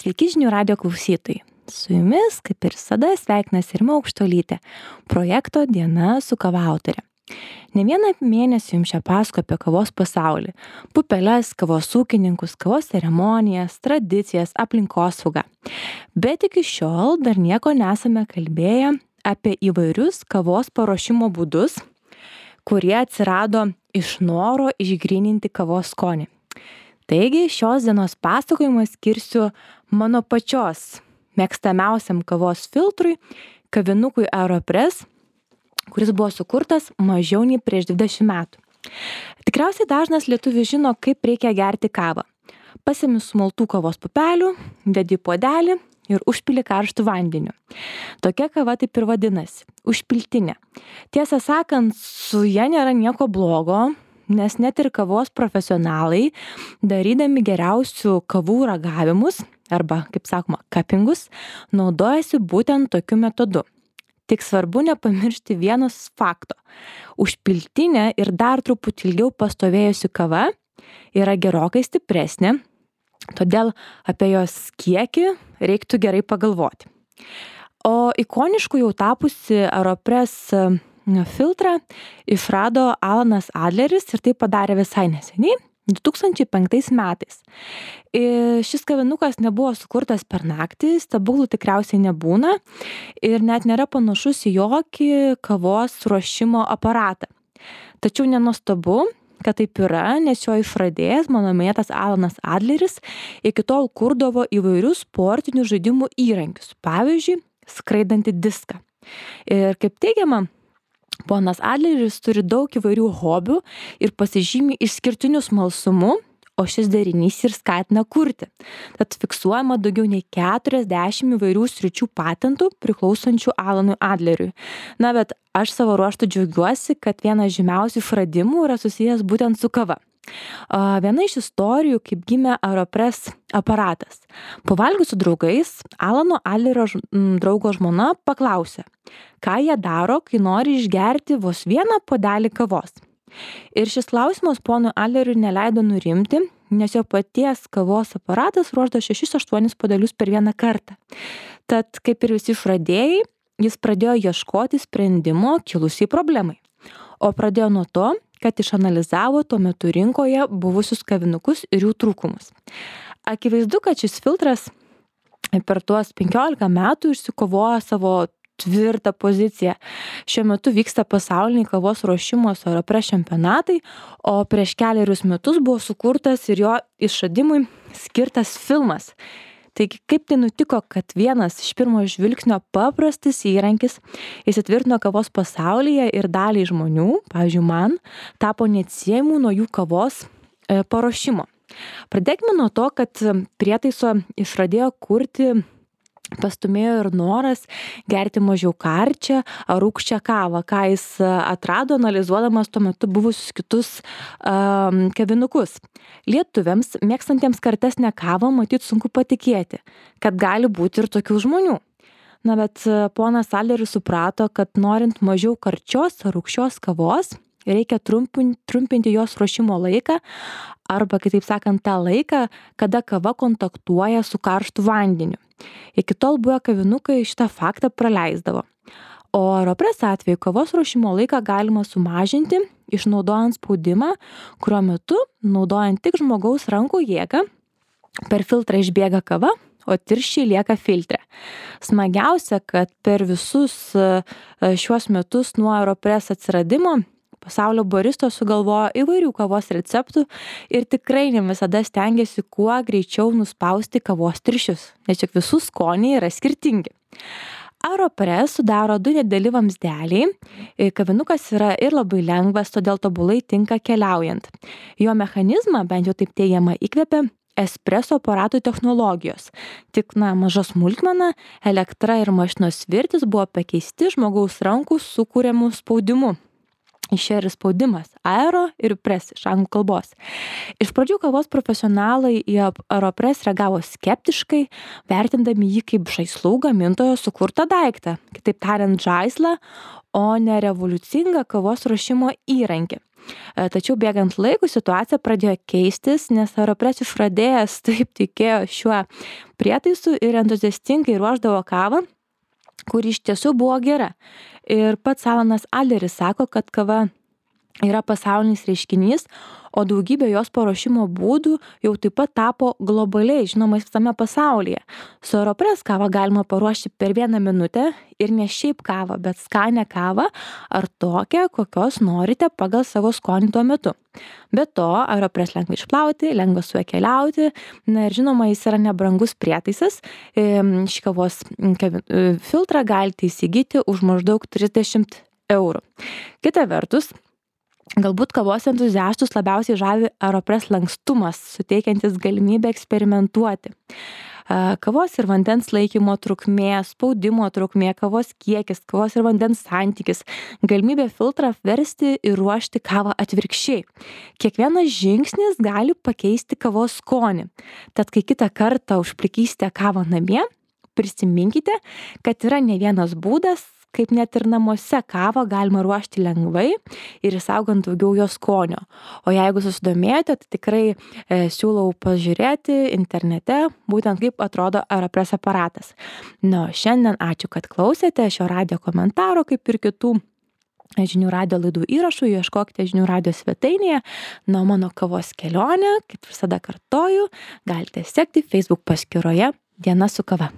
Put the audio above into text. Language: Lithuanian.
Sveiki žinių radijo klausytojai. Su jumis, kaip ir visada, sveikinasi Rima Aukštuolytė, projekto Diena su kava autorė. Ne vieną mėnesį jums čia pasakoju apie kavos pasaulį, pupeles, kavos ūkininkus, kavos ceremonijas, tradicijas, aplinkosaugą. Bet iki šiol dar nieko nesame kalbėję apie įvairius kavos paruošimo būdus, kurie atsirado iš noro išgryninti kavos skonį. Taigi šios dienos pasakojimą skirsiu mano pačios mėgstamiausiam kavos filtrui, kavinukui Aeropress, kuris buvo sukurtas mažiau nei prieš 20 metų. Tikriausiai dažnas lietuvis žino, kaip reikia gerti kavą. Pasiimi sumaltų kavos pupelių, dedi į puodelį ir užpili karštu vandeniu. Tokia kava taip ir vadinasi – užpiltinė. Tiesą sakant, su ja nėra nieko blogo, nes net ir kavos profesionalai, darydami geriausių kavų ragavimus, arba, kaip sakoma, kapingus, naudojasi būtent tokiu metodu. Tik svarbu nepamiršti vienos fakto. Užpiltinė ir dar truputį ilgiau pastovėjusi kava yra gerokai stipresnė, todėl apie jos kiekį reiktų gerai pagalvoti. O ikonišku jau tapusi Aeropress filtrą išrado Alanas Adleris ir tai padarė visai neseniai, 2005 metais. Šis kavinukas nebuvo sukurtas per naktį, stebuklų tikriausiai nebūna ir net nėra panašus į jokį kavos ruošimo aparatą. Tačiau nenuostabu, kad taip yra, nes jo išradėjas, mano minėtas Alanas Adleris, iki tol kurdavo įvairius sportinių žaidimų įrankius, pavyzdžiui, skraidantį diską. Ir kaip teigiama, ponas Adleris turi daug įvairių hobių ir pasižymi išskirtiniu smalsumu, o šis derinys ir skatina kurti. Tad fiksuojama daugiau nei 40 įvairių sričių patentų priklausančių Alanui Adleriui. Na, bet aš savo ruožtu džiaugiuosi, kad vienas žymiausių išradimų yra susijęs būtent su kava. Viena iš istorijų, kaip gimė Aeropress aparatas. Pavalgius su draugais, Alano Adlerio draugo žmona paklausė, ką jie daro, kai nori išgerti vos vieną puodelį kavos. Ir šis klausimas ponui Adleriui neleido nurimti, nes jo paties kavos aparatas ruošdavo 6-8 puodelius per vieną kartą. Tad, kaip ir visi išradėjai, jis pradėjo ieškoti sprendimo kilusiai problemai. O pradėjo nuo to, kad išanalizavo tuo metu rinkoje buvusius kavinukus ir jų trūkumus. Akivaizdu, kad šis filtras per tuos 15 metų išsikovojo savo tvirtą poziciją. Šiuo metu vyksta pasauliniai kavos ruošimo su Aeropress čempionatai, o prieš kelerius metus buvo sukurtas ir jo išradimui skirtas filmas. Taigi, kaip tai nutiko, kad vienas iš pirmo žvilgsnio paprastas įrankis įsitvirtino kavos pasaulyje ir daliai žmonių, pavyzdžiui man, tapo neatsiejamų nuo jų kavos paruošimo. Pradėkime nuo to, kad prietaiso išradėjo kurti pastumėjo ir noras gerti mažiau karčią ar rūgščią kavą, ką jis atrado analizuodamas tuo metu buvusius kitus kavinukus. Lietuviams, mėgstantiems kartesnę kavą, matyt sunku patikėti, kad gali būti ir tokių žmonių. Na, bet ponas Adleris suprato, kad norint mažiau karčios ar rūgščios kavos, reikia trumpinti jos ruošimo laiką, arba, kitaip sakant, tą laiką, kada kava kontaktuoja su karštu vandeniu. Iki tol buvę kavinukai šitą faktą praleisdavo. O Aeropress atveju kavos ruošimo laiką galima sumažinti, išnaudojant spaudimą, kurio metu, naudojant tik žmogaus rankų jėgą, per filtrą išbėga kava, o tirščiai lieka filtre. Smagiausia, kad per visus šiuos metus nuo Aeropress atsiradimo pasaulio baristos sugalvojo įvairių kavos receptų ir tikrai ne visada stengiasi kuo greičiau nuspausti kavos tirščius, nes juk visų skoniai yra skirtingi. Aeropress sudaro 2 nedideli vamzdeliai, kavinukas yra ir labai lengvas, todėl tobulai tinka keliaujant. Jo mechanizmą, bent jau taip teigiama, įkvėpė espreso aparatų technologijos. Tik, maža smulkmena, elektra ir mašinos svirtis buvo pakeisti žmogaus rankų sukūriamų spaudimu. Išėjo ir spaudimas aero ir press iš anglų kalbos. Iš pradžių kavos profesionalai į Aeropress reagavo skeptiškai, vertindami jį kaip žaislų gamintojo sukurtą daiktą, kitaip tariant žaislą, o ne revoliucingą kavos ruošimo įrankį. Tačiau bėgant laikui situacija pradėjo keistis, nes Aeropress išradėjas taip tikėjo šiuo prietaisu ir entuziastingai ruošdavo kavą, kuri iš tiesų buvo gera. Ir pats Alanas Adleris sako, kad kava yra pasaulinis reiškinys, o daugybė jos paruošimo būdų jau taip pat tapo globaliai žinomais visame pasaulyje. Su Aeropress kavą galima paruošti per 1 minutę ir ne šiaip kavą, bet skanę kavą ar tokią, kokios norite pagal savo skonį tuo metu. Be to, Aeropress lengva išplauti, lengva su juo keliauti, na ir žinoma, jis yra nebrangus prietaisas. Šį kavos filtrą galite įsigyti už maždaug 30 eurų. Kita vertus, galbūt kavos entuziastus labiausiai žavi Aeropress lankstumas, suteikiantis galimybę eksperimentuoti. Kavos ir vandens laikymo trukmė, spaudimo trukmė, kavos kiekis, kavos ir vandens santykis, galimybė filtrą apversti ir ruošti kavą atvirkščiai. Kiekvienas žingsnis gali pakeisti kavos skonį. Tad kai kitą kartą užplikysite kavą namie, prisiminkite, kad yra ne vienas būdas, kaip net ir namuose kavą galima ruošti lengvai ir išsaugant daugiau jo skonio. O jeigu susidomėjote, tai tikrai siūlau pažiūrėti internete, būtent kaip atrodo Aeropress aparatas. Na, šiandien ačiū, kad klausėte šio radijo komentaro, kaip ir kitų žinių radijo laidų įrašų, ieškokite žinių radijo svetainėje. Na, mano kavos kelionę, kaip visada kartoju, galite sekti Facebook paskyroje Diena su kava.